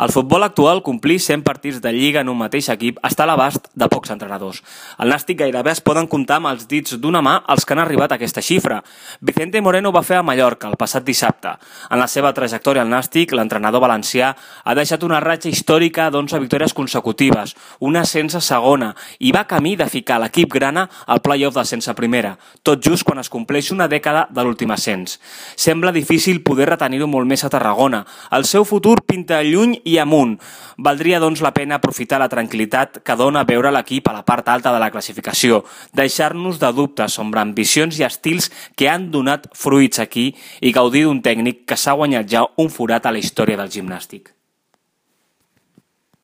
El futbol actual, complir 100 partits de lliga en un mateix equip, està a l'abast de pocs entrenadors. Al Nàstic gairebé es poden comptar amb els dits d'una mà els que han arribat a aquesta xifra. Vicente Moreno ho va fer a Mallorca el passat dissabte. En la seva trajectòria al Nàstic, l'entrenador valencià ha deixat una ratxa històrica d'11 victòries consecutives, una sense segona, i va camí de ficar l'equip grana al play-off de sense primera, tot just quan es compleix una dècada de l'últim ascens. Sembla difícil poder retenir-ho molt més a Tarragona. El seu futur pinta lluny i amunt. Valdria, doncs, la pena aprofitar la tranquil·litat que dona veure l'equip a la part alta de la classificació, deixar-nos de dubtes sobre ambicions i estils que han donat fruits aquí i gaudir d'un tècnic que s'ha guanyat ja un forat a la història del gimnàstic.